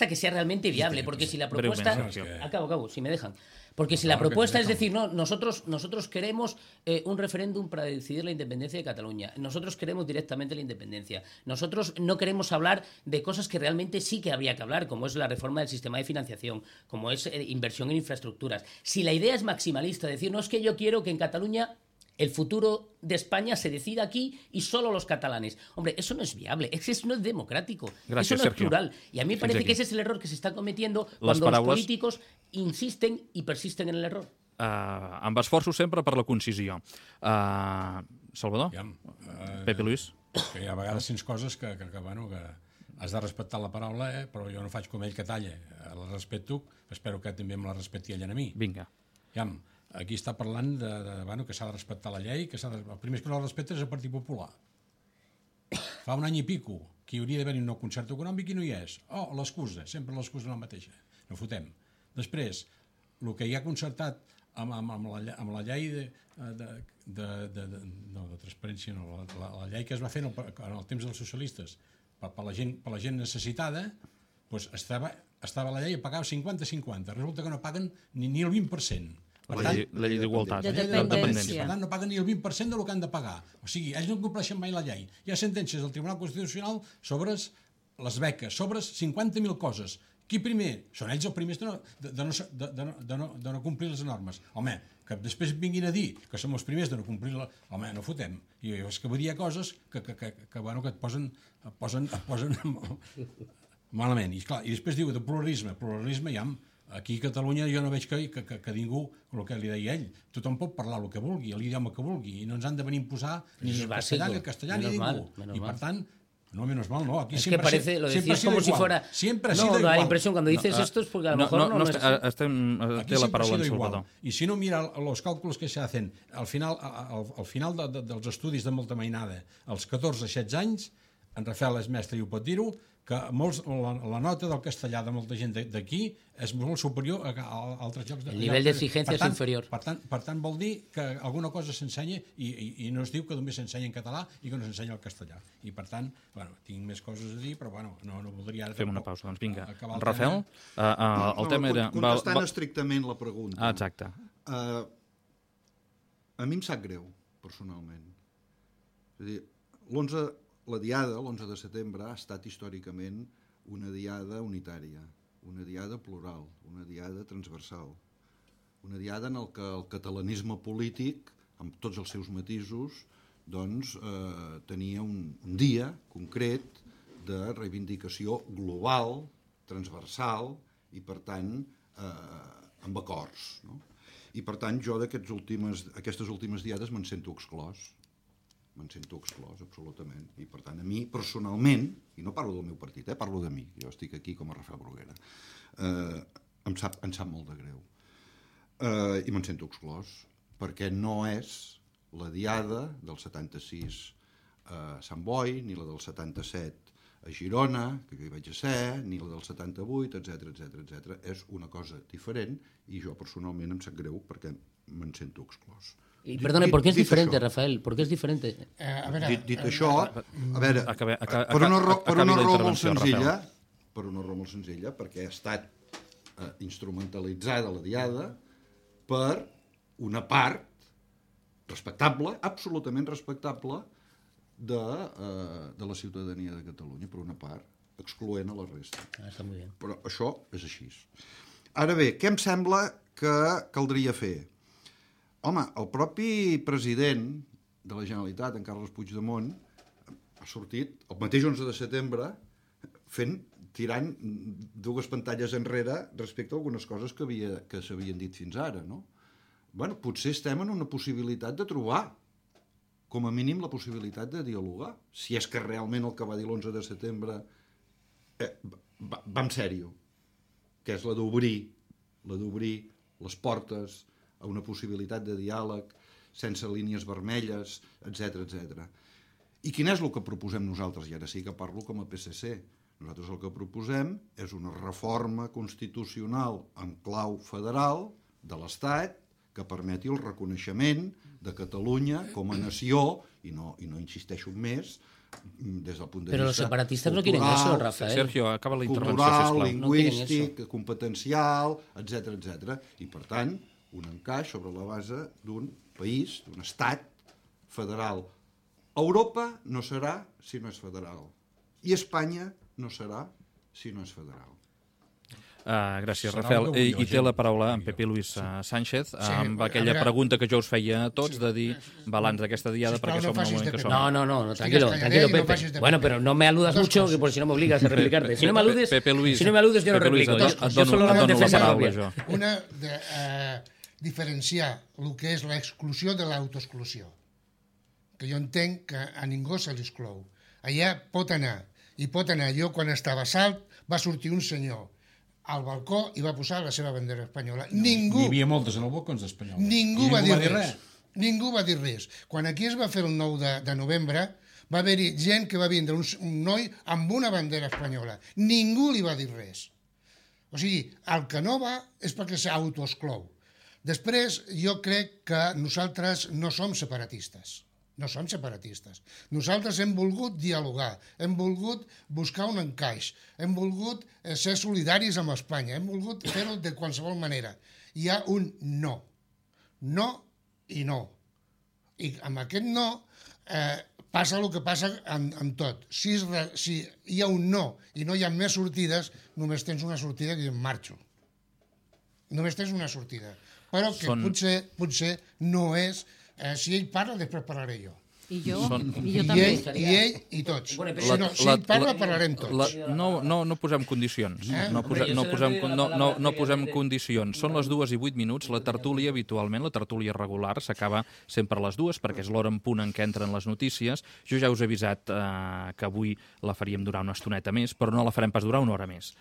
que sea realmente viable, porque si la propuesta... Acabo, si me dejan. Porque si la propuesta es decir, no, nosotros queremos un referéndum para decidir la independencia de Cataluña, nosotros queremos directamente la independencia, nosotros no queremos hablar de cosas que realmente sí que habría que hablar, como es la reforma del sistema de financiación, como es inversión en infraestructuras. Si la idea es maximalista, decir, no, es que yo quiero que en Cataluña el futuro de España se decida aquí y solo los catalanes. Hombre, eso no es viable, eso no es democrático, Gràcies, eso no Sergio. es plural. Y a mí me parece que ese es el error que se está cometiendo cuando los políticos insisten i persisten en l'error. Amb esforços sempre per la concisió. Salvador? Pepe Luis? Que hi ha vegades sents coses que has de respectar la paraula, però jo no faig com ell que talla. La respecto, espero que també me la respecti ell a mi. Vinga. Aquí està parlant que s'ha de respectar la llei, el primer que no la respecta és el Partit Popular. Fa un any i pico que hi hauria d'haver un nou concert econòmic i no hi és. L'excusa, sempre l'excusa la mateixa. No fotem. Després, el que hi ha concertat amb la llei de transparència, no, la llei que es va fer en el temps dels socialistes per la gent necessitada, doncs estava la llei a pagar 50-50. Resulta que no paguen ni el 20%. La llei d'igualtat. De dependència. Per tant, no paguen ni el 20% del que han de pagar. O sigui, ells no compleixen mai la llei. Hi ha sentències del Tribunal Constitucional sobre les beques, sobre 50.000 coses. Qui primer? Són ells els primers de no complir les normes. Home, que després vinguin a dir que som els primers de no complir la... Home, no fotem. I és que vull dir coses que et posen malament. I després diu de pluralisme. Pluralisme ja... Aquí a Catalunya jo no veig que ningú, el que li deia ell, tothom pot parlar el que vulgui, l'idioma que vulgui, i no ens han de venir a imposar ni el castellà ni el castellà ni ningú. I per tant, no, menos mal, no. Aquí es que parece, lo decís como si fuera... Siempre ha sido igual. No, da la impresión, cuando dices esto es porque a lo mejor no es así. Té la paraula en Salvador. Y si no mira los cálculos que se hacen, al final dels estudis de molta mainada, als 14-16 anys, en Rafael és mestre i ho pot dir-ho, que la nota del castellà de molta gent d'aquí és molt superior a altres llocs. El nivell d'exigència és inferior. Per tant, vol dir que alguna cosa s'ensenya i no es diu que només s'ensenya en català i que no s'ensenya el castellà. I per tant, tinc més coses a dir, però no voldria... Fem una pausa, doncs vinga. Rafael, el tema era... Contestant estrictament la pregunta. Exacte. A mi em sap greu, personalment. És a dir, la diada, l'11 de setembre, ha estat històricament una diada unitària, una diada plural, una diada transversal, una diada en què el catalanisme polític, amb tots els seus matisos, doncs tenia un dia concret de reivindicació global, transversal i, per tant, amb acords. No? I, per tant, jo d'aquestes últimes diades me'n sento exclòs. Absolutament. I, per tant, a mi, personalment, i no parlo del meu partit, parlo de mi, jo estic aquí com a Rafael Bruguera, em sap molt de greu. I me'n sento exclòs, perquè no és la diada del 76 a Sant Boi, ni la del 77 a Girona, que hi vaig a ser, ni la del 78, etc. És una cosa diferent i jo, personalment, em sap greu perquè me'n sento exclòs. Y perdone, ¿por qué es diferente, Rafael? ¿Por qué es diferente? Dit això, a veure, per una raó molt senzilla, perquè ha estat instrumentalitzada la diada per una part respectable, absolutament respectable, de la ciutadania de Catalunya, per una part, excloent a la resta. Està molt bé. Però això és així. Ara bé, què em sembla que caldria fer? Home, el propi president de la Generalitat, en Carles Puigdemont, ha sortit el mateix 11 de setembre tirant dues pantalles enrere respecte a algunes coses que s'havien dit fins ara, no? Bueno, potser estem en una possibilitat de trobar, com a mínim, la possibilitat de dialogar. Si és que realment el que va dir l'11 de setembre va en sèrio, que és la d'obrir les portes a una possibilitat de diàleg sense línies vermelles, etc etc. I quin és el que proposem nosaltres? I ara sí que parlo com a PSC. Nosaltres el que proposem és una reforma constitucional en clau federal de l'Estat que permeti el reconeixement de Catalunya com a nació, i no insisteixo més, des del punt de Pero vista los separatistas no quieren cultural, eso, Rafael. Sergio, acaba la intervenció, cultural, sisplau. lingüístic, No competencial, etc etc. I, per tant, un encaix sobre la base d'un país, d'un estat federal. Europa no serà si no és federal. I Espanya no serà si no és federal. Gràcies, Rafael. I té la paraula en Pepe Luis Sánchez amb aquella pregunta que jo us feia a tots de dir balanç d'aquesta diada perquè som un moment que som... No, tranquilo, Pepe. Bueno, pero no me aludas mucho, que por si no me obligas a replicarte. Si no me aludes, yo no replico. Yo solo hago defensa propia. Una, diferenciar el que és l'exclusió de l'autoexclusió, que jo entenc que a ningú se l'exclou. Allà pot anar. Jo, quan estava a Salt, va sortir un senyor al balcó i va posar la seva bandera espanyola. Ningú... Hi havia moltes en el balcó espanyoles. Ningú va dir res. Ningú va dir res. Quan aquí es va fer el 9 de novembre, va haver-hi gent que va vindre, un noi amb una bandera espanyola. Ningú li va dir res. O sigui, el que no va és perquè s'autoexclou. Després, jo crec que nosaltres no som separatistes. No som separatistes. Nosaltres hem volgut dialogar, hem volgut buscar un encaix, hem volgut ser solidaris amb Espanya, hem volgut fer-ho de qualsevol manera. Hi ha un no. No i no. I amb aquest no passa el que passa amb tot. Si hi ha un no i no hi ha més sortides, només tens una sortida que em marxo. Només tens una sortida. Però que potser no és... si ell parla, després parlaré jo. I jo també. I ell i tots. Si ell parla, parlarem tots. No posem condicions. No posem condicions. Són les 2:08. La tertúlia, habitualment, la tertúlia regular, s'acaba sempre a les 2, perquè és l'hora en punt en què entren les notícies. Jo ja us he avisat que avui la faríem durar una estoneta més, però no la farem pas durar una hora més.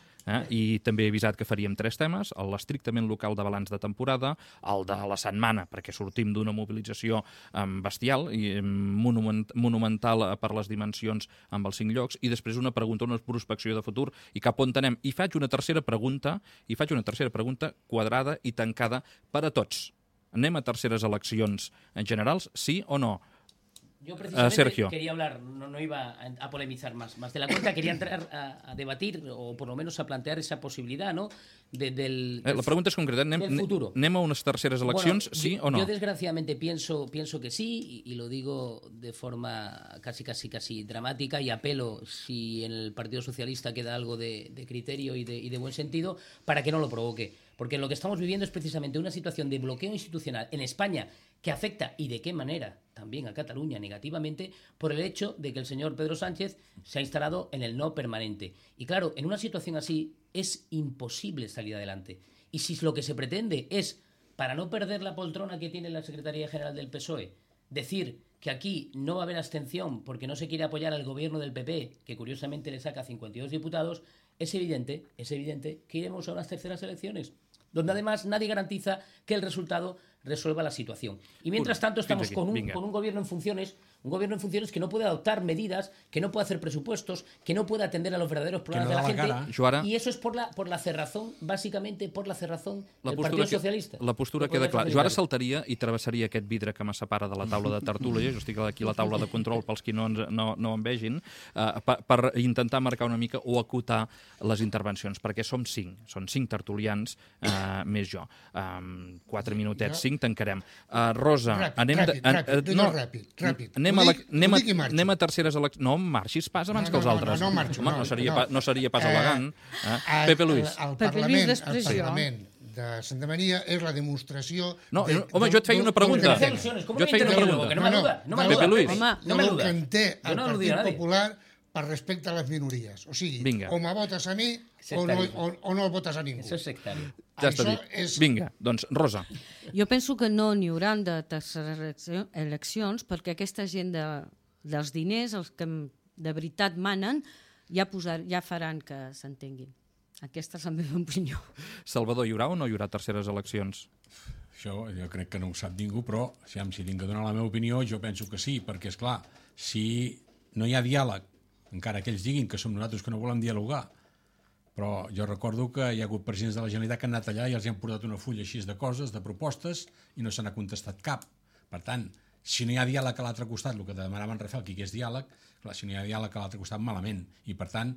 I també he avisat que faríem 3 temes, l'estrictament local de balanç de temporada, el de la setmana, perquè sortim d'una mobilització bestial i monumental per les dimensions amb els 5 llocs, i després una pregunta, una prospecció de futur, i cap on anem. I faig una tercera pregunta quadrada i tancada per a tots. Anem a terceres eleccions en generals, sí o no? Yo precisamente Sergio. Quería hablar, no iba a polemizar más de la cuenta, quería entrar a debatir o por lo menos a plantear esa posibilidad, ¿no? La pregunta és concreta, anem a unes terceres eleccions, sí o no? Yo desgraciadamente pienso que sí, y lo digo de forma casi dramática, y apelo, si en el Partido Socialista queda algo de criterio y de buen sentido, para que no lo provoque. Porque lo que estamos viviendo es precisamente una situación de bloqueo institucional en España que afecta, y de qué manera, también a Cataluña negativamente, por el hecho de que el señor Pedro Sánchez se ha instalado en el no permanente. Y claro, en una situación así es imposible salir adelante. Y si lo que se pretende es, para no perder la poltrona que tiene la Secretaría General del PSOE, decir que aquí no va a haber abstención porque no se quiere apoyar al gobierno del PP, que curiosamente le saca 52 diputados, es evidente que iremos a unas terceras elecciones, donde además nadie garantiza que el resultado resuelva la situación. Y mientras tanto estamos con un gobierno en funciones, que no puede adoptar medidas, que no puede hacer presupuestos, que no puede atender a los verdaderos problemas de la gente. Joara, y eso es por la cerrazón, básicamente por la cerrazón del Partido Socialista. La postura queda clara. Jo ara saltaria i travessaria aquest vidre que me separa de la taula de tertúlia, jo estic aquí a la taula de control pels qui no em vegin, per intentar marcar una mica o acotar les intervencions, perquè som 5 tertulians, més jo. 4 minutets, 5, tancarem. Rosa, anem a terceres eleccions. No marxis pas abans que els altres. No marxo. No seria pas elegant. Pepe Luis. El Parlament de Santa Maria és la demostració... No, home, jo et feia una pregunta. Jo et feia una pregunta. No Pepe Luis. del que en té el Partit Popular per respecte a les minories. O sigui, o me votes a mi o no el votes a ningú. Això és sectari. Ja està dit. Vinga, doncs, Rosa. Jo penso que no n'hi hauran de terceres eleccions perquè aquesta gent dels diners, els que de veritat manen, ja faran que s'entenguin. Aquesta és la meva opinió. Salvador, hi haurà o no hi haurà terceres eleccions? Això jo crec que no ho sap ningú, però si tinc que donar la meva opinió, jo penso que sí, perquè, és clar, si no hi ha diàleg, encara que ells diguin que som nosaltres que no volem dialogar, però jo recordo que hi ha hagut presidents de la Generalitat que han anat allà i els han portat una fulla així de coses, de propostes, i no se n'ha contestat cap. Per tant, si no hi ha diàleg a l'altre costat, el que demanava en Rafael, que hi hagués diàleg, clar, si no hi ha diàleg a l'altre costat, malament. I, per tant,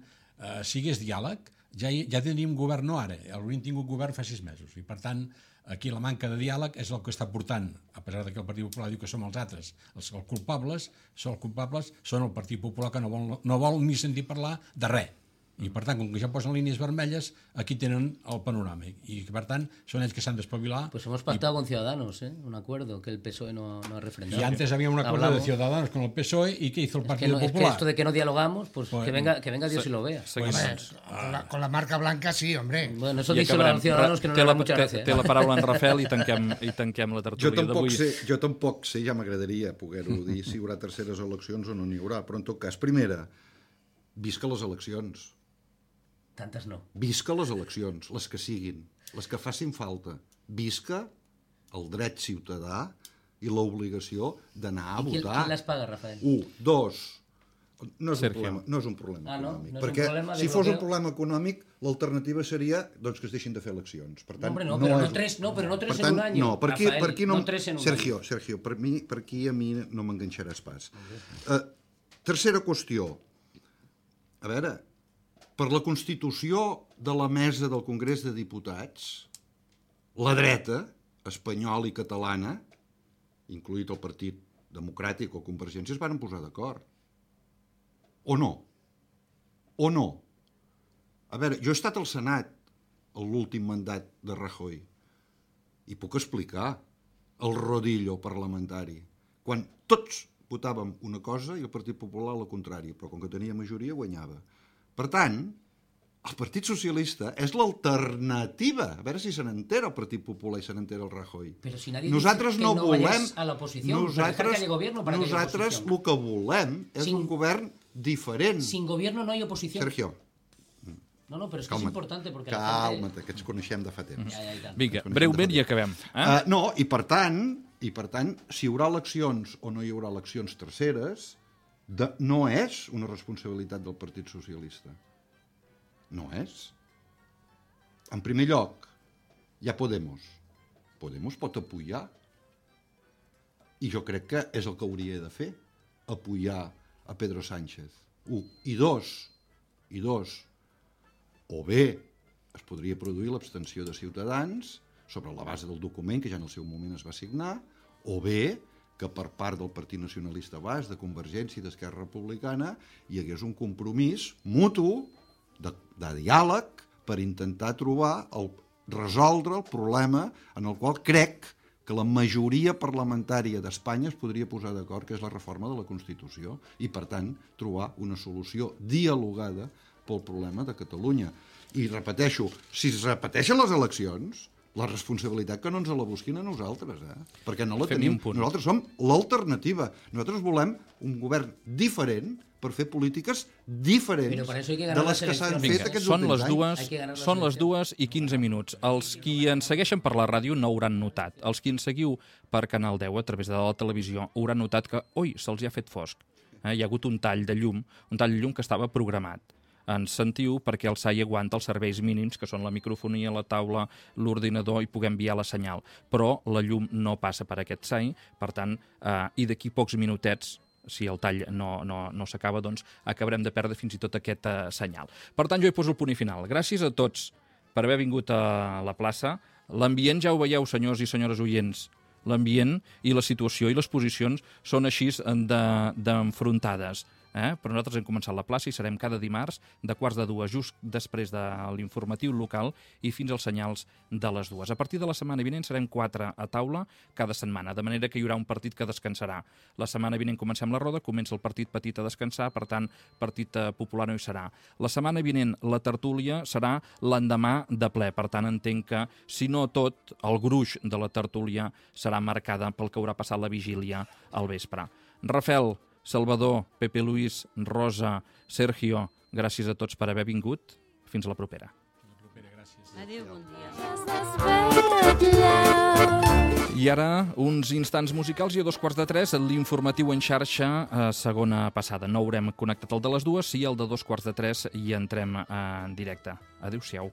si hi hagués diàleg, ja tindríem govern, no ara, hauríem tingut govern fa 6 mesos. I, per tant, aquí la manca de diàleg és el que està portant, a pesar que el Partit Popular diu que som els altres, els culpables són el Partit Popular que no vol ni sentir parlar de res. I, per tant, com que ja posen línies vermelles, aquí tenen el panorama. I, per tant, són ells que s'han d'espavilar. Pues hemos pactado con Ciudadanos, un acuerdo que el PSOE no ha refrendado. Y antes había un acuerdo de Ciudadanos con el PSOE, ¿y qué hizo el Partido Popular? Es que esto de que no dialogamos, pues que venga Dios y lo vea. Con la marca blanca sí, hombre. Bueno, eso díselo a los ciudadanos que no le da mucha gràcia. Té la paraula en Rafael i tanquem la tertúlia d'avui. Jo tampoc sé, ja m'agradaria poder-ho dir, si hi haurà terceres eleccions o no n'hi haurà, però en tot cas, primera, visca les eleccions. Tantes no. Visca les eleccions, les que siguin, les que facin falta. Visca el dret ciutadà i l'obligació d'anar a votar. Qui les paga, Rafael? 1, 2... No és un problema econòmic. Perquè si fos un problema econòmic, l'alternativa seria doncs, que es deixin de fer eleccions. Per tant, però no tres en un any. No, per aquí no... Sergio, per aquí a mi no m'enganxaràs pas. Tercera qüestió. A veure, per la Constitució de la Mesa del Congrés de Diputats, la dreta espanyola i catalana, incloït el Partit Democràtic o Convergència, es van posar d'acord. O no? O no? A veure, jo he estat al Senat l'últim mandat de Rajoy i puc explicar el rodillo parlamentari. Quan tots votàvem una cosa i el Partit Popular la contrària, però com que tenia majoria guanyava. Per tant, el Partit Socialista és l'alternativa. A veure si se n'entera el Partit Popular i se n'entera el Rajoy. Però si nadie dice que no vayas a la oposición, nosaltres el que volem és un govern diferent. Sin gobierno no hay oposición. Sergio. No, però és que és important perquè... Calma't, que ens coneixem de fa temps. Vinga, breument i acabem. No, i per tant, si hi haurà eleccions o no hi haurà eleccions terceres, no és una responsabilitat del Partit Socialista. No és. En primer lloc, hi ha Podemos. Podemos pot apoyar. I jo crec que és el que hauria de fer, apoyar a Pedro Sánchez. 1. I dos, o bé es podria produir l'abstenció de Ciutadans sobre la base del document que ja en el seu moment es va signar, o bé que per part del Partit Nacionalista Basc, de Convergència i d'Esquerra Republicana hi hagués un compromís mutu de diàleg per intentar resoldre el problema en el qual crec que la majoria parlamentària d'Espanya es podria posar d'acord, que és la reforma de la Constitució, i, per tant, trobar una solució dialogada pel problema de Catalunya. I repeteixo, si es repeteixen les eleccions, la responsabilitat que no ens la busquin a nosaltres, perquè no la tenim. Nosaltres som l'alternativa. Nosaltres volem un govern diferent per fer polítiques diferents de les que s'han fet aquests últims anys. Són les 2:15. Els qui ens segueixen per la ràdio no hauran notat. Els qui ens seguiu per Canal 10 a través de la televisió hauran notat que, se'ls ha fet fosc. Hi ha hagut un tall de llum que estava programat. Ens sentiu perquè el SAI aguanta els serveis mínims, que són la microfonia, la taula, l'ordinador, i puguem enviar la senyal. Però la llum no passa per aquest SAI, per tant, i d'aquí pocs minutets, si el tall no s'acaba, doncs acabarem de perdre fins i tot aquest senyal. Per tant, jo hi poso el punt i final. Gràcies a tots per haver vingut a la plaça. L'ambient ja ho veieu, senyors i senyores oients. L'ambient i la situació i les posicions són així d'enfrontades. però nosaltres hem començat la plaça i serem cada dimarts de 1:45, just després de l'informatiu local i fins als senyals de les 2. A partir de la setmana vinent serem 4 a taula cada setmana, de manera que hi haurà un partit que descansarà. La setmana vinent comencem la roda, comença el partit petit a descansar, per tant, partit popular no hi serà. La setmana vinent la tertúlia serà l'endemà de ple, per tant, entenc que, si no tot, el gruix de la tertúlia serà marcada pel que haurà passat la vigília al vespre. Rafel, Salvador, Pepe Luis, Rosa, Sergio, gràcies a tots per haver vingut. Fins a la propera. Adéu, bon dia. I ara, uns instants musicals i a 2:45, l'informatiu en xarxa, segona passada. No haurem connectat el de les 2, sí el de 2:45 i entrem en directe. Adéu-siau.